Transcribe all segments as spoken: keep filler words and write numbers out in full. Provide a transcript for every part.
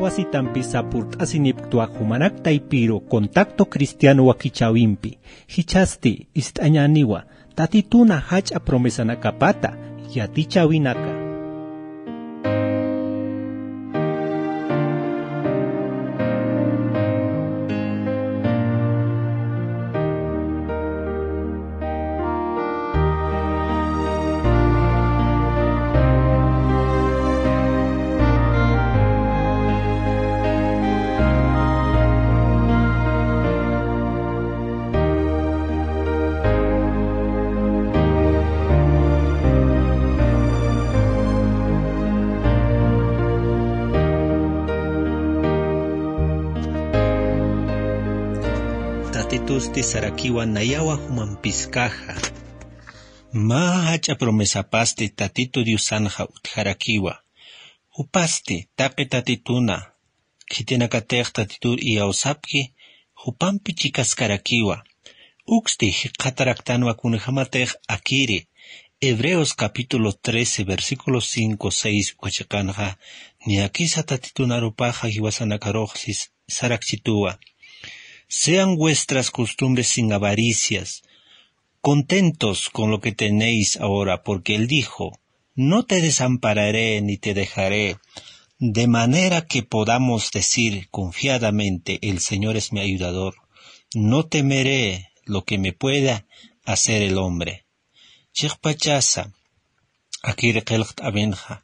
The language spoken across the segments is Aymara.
Asitampi sapurt'asinipktwa jumanak taypiru Contacto Cristiano wakichäwimpi. Jichhasti ist'añäniwa Tatituna jach'a promesanakapata yatichäwinaka. Tatitusti sarakiwa nayawa jumampiskaxa. Mä jach'a promesapasti Tatitu Diosanxa utjarakiwa. Jupasti taqi tatituna khitinakatix Tatitur iyawsapki, jupampi chikaskarakiwa. Uksti jikxataraktanwa kunjamatix akiri Hebreos capítulo trece, versículo cinco, seis uka chiqanxa, niyakisa Tatitu narupaxa jiwasanakarux sis-, sarakchituwa. Sean vuestras costumbres sin avaricias, contentos con lo que tenéis ahora, porque él dijo: "No te desampararé ni te dejaré", de manera que podamos decir confiadamente: "El Señor es mi ayudador, no temeré lo que me pueda hacer el hombre". Chiqpachasa, akiri qillqt'awinxa,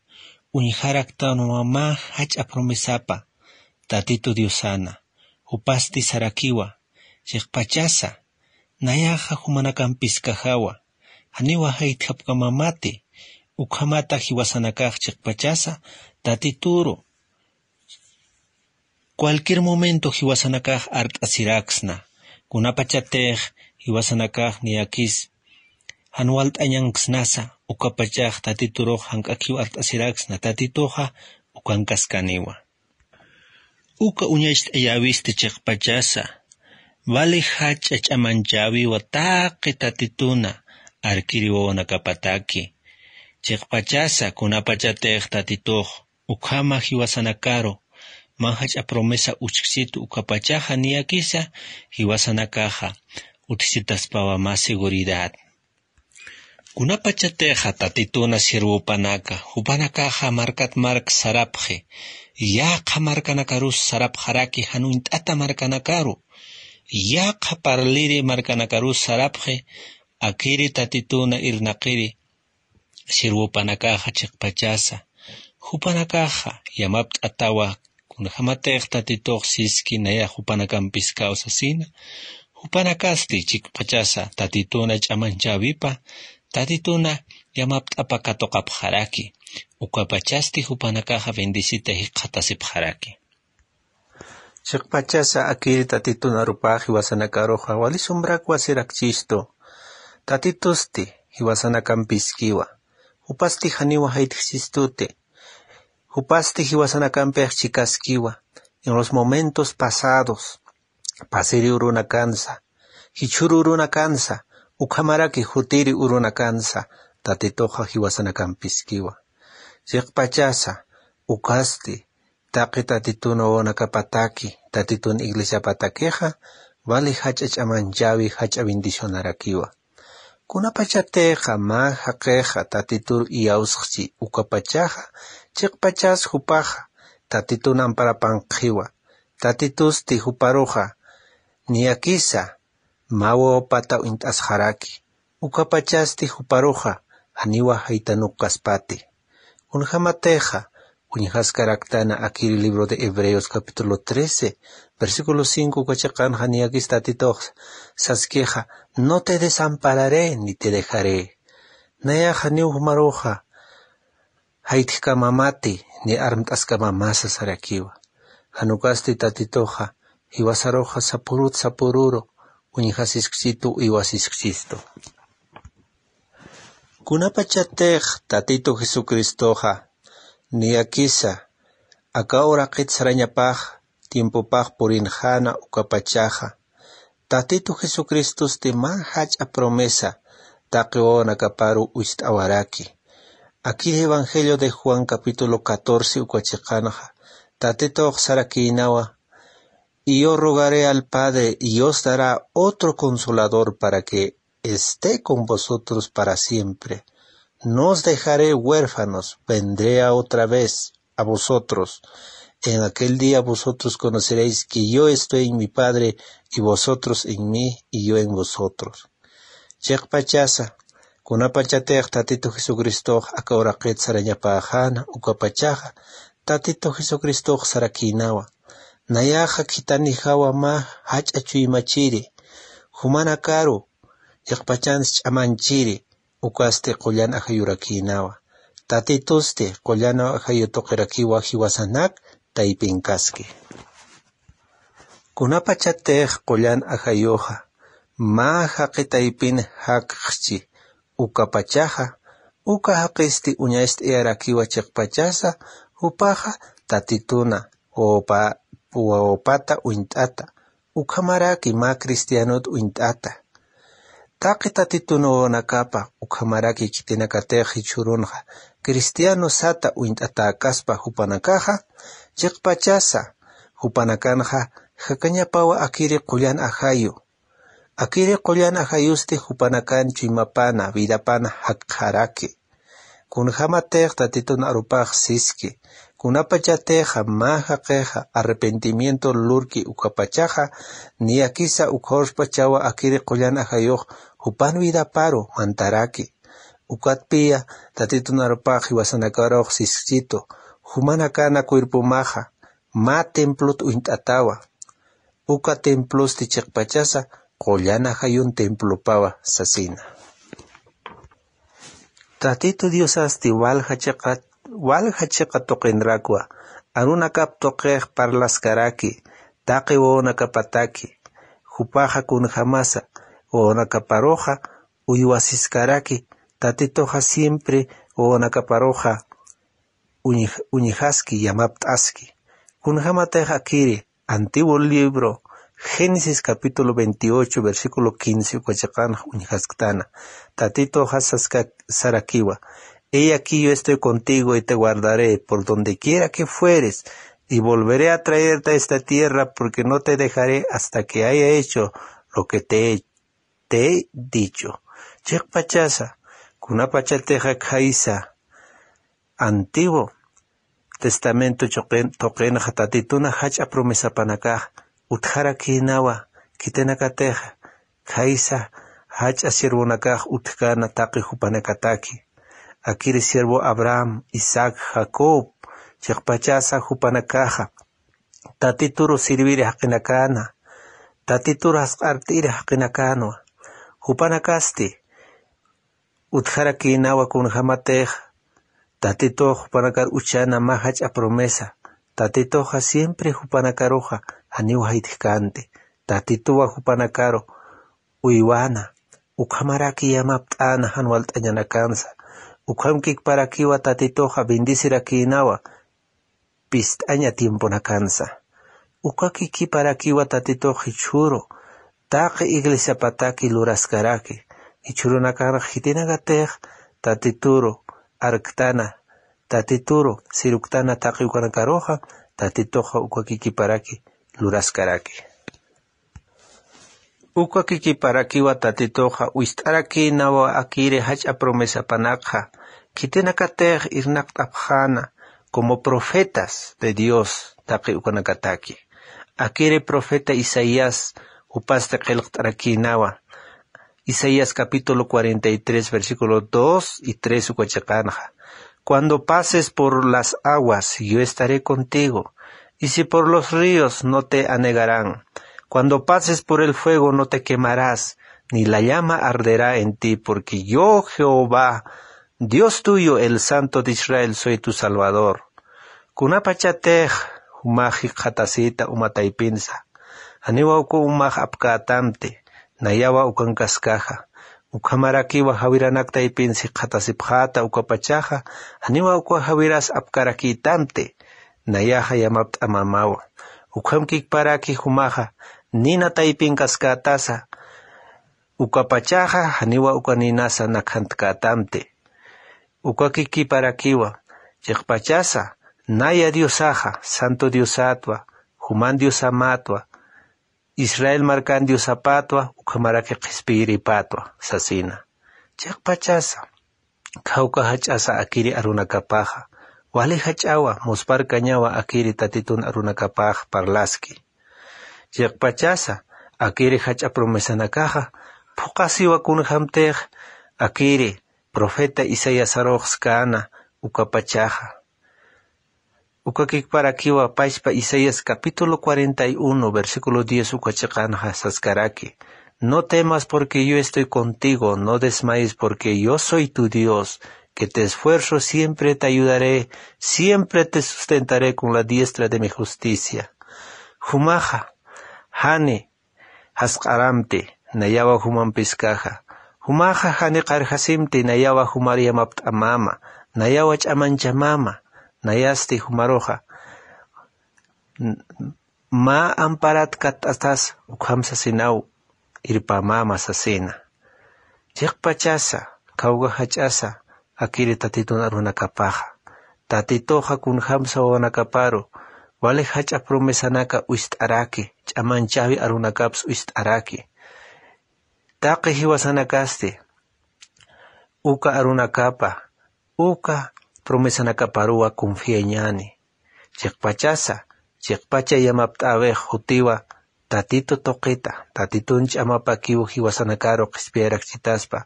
uñjaraktanwa mä jach'a promesapa Tatitu Diosana, jupasti sarakiwa, chiqpachasa, nayaxa jumanakampiskaxawa, janiwa jaytjapkamamati, ukhamata jiwasanakax chiqpachasa, Tatituru, cualquier momento jiwasanakax art'asiraksna, kunapachatix jiwasanakax niyakis jan walt'añanksnasa, ukapachax Tatiturux jank'akiw art'asiraksna, Tatituxa ukankaskaniwa. Uka uñacht'ayäwisti chiqpachasa, vali jach'a ch'amanchäwiwa taqi Tatituna arkiri wawanakapataki. Chiqpachasa, kunapachatix Tatitux ukhama jiwasanakaru mä jach'a promesa uchksitu, ukapachaxa niyakisa jiwasanakaxa utjsitaspawa mä seguridad. Kunapachatixa Tatituna sirvupanaka, jupanakaxa markat mark sarapxi, yaqha markanakarus sarapxaraki, jan uñt'ata markanakaru, yaqha parliri markanakarus sarapxi, akiri Tatituna irnaqiri sirvupanakaxa chiqpachasa, jupanakaxa yamapt'atawa, kunjamatix Tatitux siski nayax jupanakampiskaw sasina, jupanakasti chiqpachasa Tatituna ch'amanchäwipa, Tatituna yamapt'apa katuqapxaraki, ukapachasti jupanakaxa bendecita jikxatasipxaraki. Chiqpachasa akiri Tatitun arupax jiwasanakaruxa, wali sumbrak wasirakchistu. Tatitusti jiwasanakampiskiwa. Jupasti janiwa jaytjsistuti. Jupasti jiwasanakampix chikaskiwa. En los momentos pasados, pasiri urunakansa, jichhüru urunakansa, ukhamaraki jutiri urunakansa, Tatituxa jiwasanakampiskiwa. Chiqpachasa, ukasti, taqi Tatitun wawanakapataki, Tatitun iglesiapatakixa, vali jach'a ch'amanchäwi, jach'a bendicionarakiwa. Kunapachatixa mä jaqixa Tatitur iyawsxchi, ukapachaxa, chiqpachas jupaxa, Tatitun amparapanqxiwa, Tatitusti juparuxa, niyakisa, mä wawapata uñt'asxaraki, ukapachasti juparuxa, janiwa jaytanuk kaspati. Kunjamatixa, uñjaskaraktana akiri libro de Hebreos capítulo trece, versículo cinco uka chiqanxa niyakis Tatitux saskixa, "No te desampararé ni te dejaré". Nayax janiw jumaruxa, jaytjkamamati, ni armt'askamamasa sarakiwa. Jan ukasti Tatituxa, jiwasaruxa sapurut sapururu, uñjasiskchistu, uywasiskchistu. Kunapachatix Tatitu Jesucristoxa, niyakisa, aka uraqit sarañapax, tiempopax purinxäna ukapachaxa, Tatitu Jesucristosti mä jach'a promesa taqi wawanakaparu ucht'awaraki. Akiri Evangelio de Juan capítulo catorce uka chiqanxa, Tatitux sarakïnawa: "Y yo rogaré al Padre, y os dará otro Consolador para que esté con vosotros para siempre. No os dejaré huérfanos, vendré a otra vez a vosotros. En aquel día vosotros conoceréis que yo estoy en mi Padre y vosotros en mí y yo en vosotros". Chiqpachasa, kunapachatix Tatitu Jesucristox aka uraqit sarañapäxäna, ukapachaxa Tatitu Jesucristox sarakïnawa: "Nayaxa khithanijawa mä jach'a chuymachiri, jumanakaru chiqpachans ch'amanchiri, ukasti qullan ajayurakïnawa. Tatitusti qullan ajayu tuqirakiwa jiwasanak taypinkaski". Kunapachatix qullan ajayuxa mä jaqi taypin jakxchi, ukapachaxa, uka jaqisti uñacht'ayarakiwa chiqpachasa, jupaxa Tatituna wawpa-, wawapata uñt'ata, ukhamaraki mä cristianot uñt'ata. Taqi Tatitun wawanakapa ukhamaraki khitinakatix jichhürunxa cristiano sata uñt'atäkaspa jupanakaxa, chiqpachasa jupanakanxa jakañapawa akiri qullan ajayu. Akiri qullan ajayusti jupanakan chuymapana, vidapana jakxaraki. Kunjamatix Tatitun arupax siski, kunapachatixa mä jaqixa arrepentimiento lurki ukapachaxa, niyakisa ukhawspachawa akiri qullan ajayux jupan vidaparu mantaraki. Ukatpiya Tatitun arupax jiwasanakarux siskitu, jumanakana cuerpomaxa mä templot uñt'atawa. Uka templosti chiqpachasa qullan ajayun templopawa sasina. Tatitu Diosasti walja chiqa, walja chiqa tuqinrakwa, arunakap tuqix parlaskaraki, taqi wawanakapataki, jupaxa kunjamasa wawanakaparuxa uywasiskaraki, Tatituxa siempre wawanakaparuxa uñj-, uñjaski, yamapt'aski. Kunjamatix akiri, antiguo libro, Génesis capítulo veintiocho, versículo quince, uka chiqanx uñjasktana. Tatituxa saska-, sarakiwa: "He aquí yo estoy contigo y te guardaré por donde quiera que fueres, y volveré a traerte a esta tierra, porque no te dejaré hasta que haya hecho lo que te he, te he dicho". Chiqpachasa, kunapachatixa khaysa, Antiguo Testamento tuqin-, tuqinxa Tatituna jach'a promesapanakax utjarakïnawa, khitinakatixa khaysa jach'a siervonakax utjkäna taqi jupanakataki. Akiri siervo Abraham, Isaac, Jacob, chiqpachasa jupanakaxa Tatituru sirviri jaqinakäna, Tatituru jasq'art'iri jaqinakäna, jupanakasti utjarakïnawa kunjamatix Tatitux jupanakar uchana mä jach'a promesa. Tatituxa siempre jupanakaruxa janiw jaytjkänti. Tatituwa jupanakaru uywana, ukhamaraki yamapt'äna jan walt'añanakansa. Ukhamkikparakiwa Tatituxa bendecirakïnawa pist'aña tiemponakansa. Ukakikiparakiwa Tatitux jichhüru taqi iglesiapataki luraskaraki. Jichhürunakanx khitinakatix Tatituru arktana, Tatituru siruktana taqi ukanakaruxa, Tatituxa ukakikiparaki luraskaraki. Ukakikiparakiwa Tatituxa wist'arakïnawa akiri jach'a promesapanakxa, khitinakatix irnaqt'apxäna como profetas de Dios taqi ukanakataki. Akiri profeta Isaías jupasti qillqt'arakïnawa. Isaías capítulo cuarenta y tres, versículo dos y tres uka chiqanxa: "Cuando pases por las aguas, yo estaré contigo, y si por los ríos, no te anegarán. Cuando pases por el fuego, no te quemarás, ni la llama arderá en ti, porque yo, Jehová, Dios tuyo, el Santo de Israel, soy tu Salvador". Kunapachatix jumax jikxatasita uma taypinsa, janiwa uka umax apkätamti, nayawa ukankaskaxa. Ukhamarakiwa jawiranak taypinsa jikxatasipxäta ukapachaxa, janiwa uka jawiras apkarakïtamti, nayaxa yamapt'amamawa. Ukhamkikparaki jumaxa nina taypinkaskätasa, ukapachaxa janiwa uka ninasa nakhantkätamti. Ukakikiparakiwa chiqpachasa Naya Diosaxa, Santo Diosatwa, juman Diosamatwa, Israel markan Diosapatwa, ukhamaraki qhispiyiripatwa sasina. Chiqpachasa, khawka jach'asa akiri arunakapaxa, wali jach'awa, muspharkañawa akiri Tatitun arunakapax parlaski. Chiqpachasa, akiri jach'a promesanakaxa phuqasiwa kunjämtix akiri profeta Isaiasarux skäna ukapachaxa. Ukakikparakiwa pachpa Isaías capítulo cuarenta y uno, versículo diez uka chiqanxa saskaraki: No temas porque yo estoy contigo, no desmayes porque yo soy tu Dios, que te esfuerzo, siempre te ayudaré, siempre te sustentaré con la diestra de mi justicia. Jumaxa, jani jasq'aramti, nayawa jumampiskaxa. Jumaxa jani qarjasimti, nayawa jumar yamapt'amama, nayawa ch'amanchamama, nayasti jumaruxa n- mä amparat katt'atas ukham sasinaw irpamama sasina. Chiqpachasa, khawka jach'asa akiri Tatitun arunakapaxa. Tatituxa kunjämsa wawanakaparu wali jach'a promesanaka wist'araki, ch'amanchäwi arunakaps wist'araki. Taqi jiwasanakasti uka arunakapa, uka promesanakaparuwa confiañäni. Chiqpachasa, chiqpacha yamapt'äwix jutiwa Tatitu tuqita, Tatitun ch'amapakiw jiwasanakaru qhispiyarakchitaspa,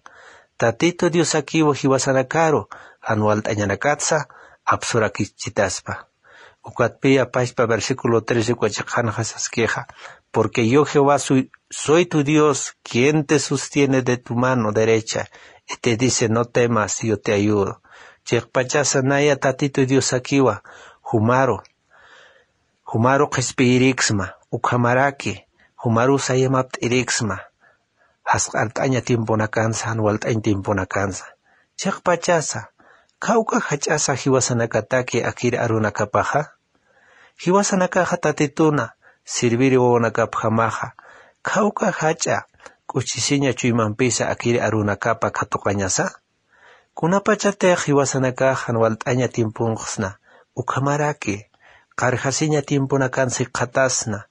Tatitu Diosakiw jiwasanakaru jan walt'añanakatsa apsurakchitaspa. Ukatpiya pachpa versículo trece uka chiqanxa saskixa: Porque yo Jehová soy, soy tu Dios, quien te sostiene de tu mano derecha, y te dice: No temas, yo te ayudo. Chiqpachasa naya Tatitu Diosakiwa jumaru, jumaru qhispiyiriksma, ukhamaraki jumarusa yamapt'iriksma, jasq'art'aña tiemponakansa, jan walt'añ tiemponakansa. Chiqpachasa, khawka jach'asa jiwasanakataki akiri arunakapaxa. Jiwasanakaxa Tatituna sirviri wawanakapjamaxa, khawka jach'a k'uchisiña chuymampisa akiri arunakapa katuqañasa. Kunapachatix jiwasanakax jan walt'aña tiemponxsna, ukhamaraki qarjasiña tiemponakansa jikxatasna,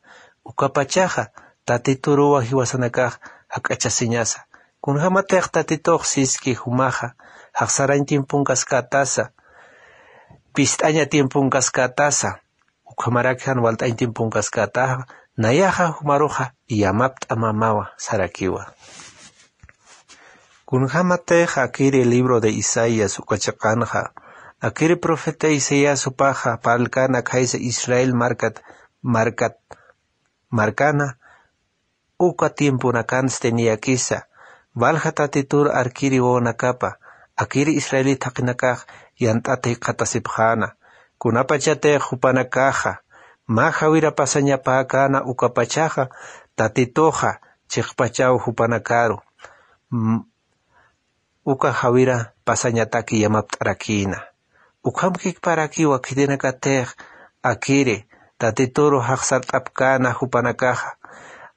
ukapachaxa Tatituruwa jiwasanakax jak'achasiñasa. Kunjämatix Tatitux siski jumaxa jaxsarañ tiemponkaskatasa, pist'aña tiemponkaskatasa, ukhamaraki jan walt'añ tiemponkaskataxa, nayaxa jumaruxa yamapt'amamawa sarakiwa. Kunjämatix akiri libro de Isaías uka chiqanxa, akiri profeta Isaías jupaxa parlkana khaysa Israel markat, markat, markana, uka tiemponakansti niyakisa, valja Tatitur arkiri wawanakapa, akiri israelit jaqinakax yant'ata jikxatasipxäna. Kunapachatix jupanakaxa mä jawira pasañapäkäna ukapachaxa, Tatituxa chiqpachaw jupanakaru m- uka jawira pasañataki yamapt'arakïna. Ukhamkikparakiwa khitinakatix akiri Tatituru jaxsart'apkäna jupanakaxa,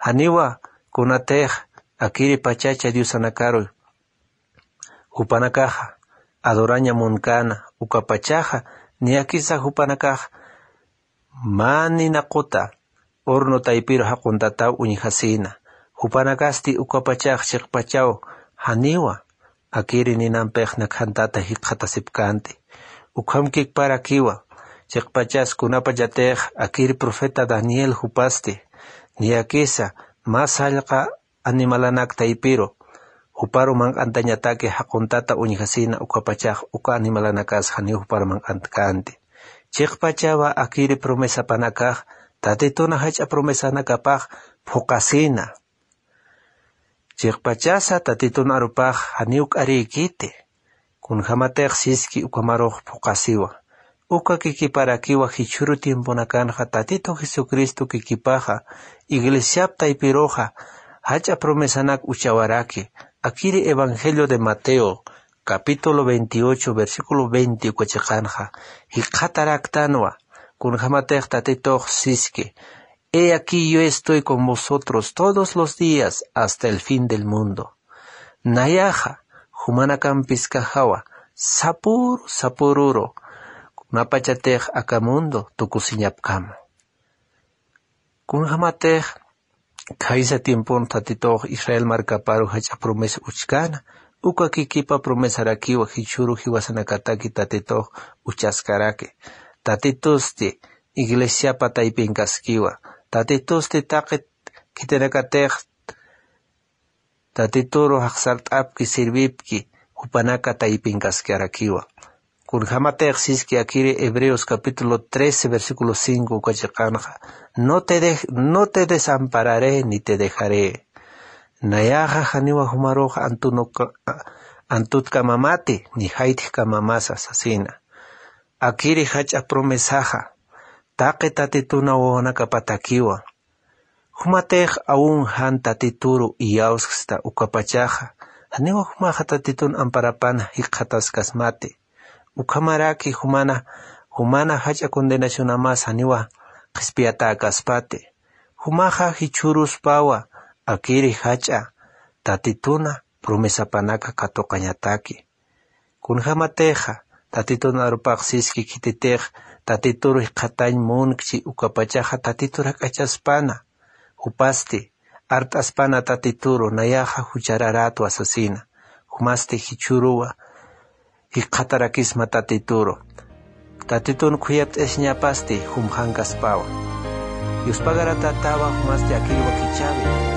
janiwa kunatix akiri pachacha diosanakaru jupanakaxa adoraña munkäna, ukapachaxa niyakisa jupanakax mä ninaquta horno taypiru jaquntataw uñjasïna. Jupanakasti ukapachax chiqpachaw janiwa akiri ninampix nakhantata jikxatasipkänti. Ukhamkikparakiwa chiqpachas kunapachatix akiri profeta Daniel jupasti niyakisa mä sallqa animalanak taypiru juparu manq'antañataki jaquntata uñjasïna, ukapachax uka animalanakas janiw juparu manq'antkänti. Chiqpachawa akiri promesapanakax Tatituna jach'a promesanakapax phuqasïna. Chiqpachasa Tatitun arupax janiw k'arïkiti. Kunjämatix siski ukhamarux phuqasiwa. Uka kikiparakiwa jichhüru tiemponakanxa Tatitu Jesucristo kikipaxa iglesiap taypiruxa jach'a promesanak uchawaraki. Akiri Evangelio de Mateo, capítulo veintiocho, versículo veinte uka chiqanxa jikxataraktanwa. Kunjämatix Tatitux siski: He aquí, yo estoy con vosotros todos los días hasta el fin del mundo. Nayaxa jumanakampiskaxawa sapüru sapüruru mapachatix aka mundo tukusiñapkama. Kunjamatix khaysa tiempon tatitux Israel markaparu jach'a promesa uchkana, uka kikipa promesarakiwa jichhuru jiwasanakataki tatitux uchaskaraki. Tatitusti iglesiapa taypinkaskiwa. Tatitusti taqi khitinakatix tatituru jaqsart'apki sirvipki jupanaka taypinkaskarakiwa. Kunjamatix siski akiri Hebreos capítulo trece versículo cinco uka chiqanxa: "No te dej- no te desampararé ni te dejaré". Nayaxa janiwa jumarux antunuka- antutkamamati ni jaytjkamamasa sasina. Akiri jach'a promesaxa taqi tatituna wawanakapatakiwa. Jumatix aun jan tatituru iyawsksta ukapachaxa, janiwa jumaxa tatitun amparapana jikxataskasmati. Ukhamaraki jumana jumana jach'a condenacionamas janiwa qhispiyatäkaspati. Jumaxa jichhüruspawa akiri jach'a tatituna promesapanaka katuqañataki. Kunjamatixa tatitun arupax siski khititix tatituru jikxatañ munkchi ukapachaxa tatitur jak'achaspana. Jupasti art'aspana tatituru nayaxa juchararätwa sasina. Jumasti jichhüruwa jikxatarakisma tatituru. Tatitun khuyapt'asiñapasti jumxankaspawa. Yuspagaratätawa jumasti akiri wakichäwi.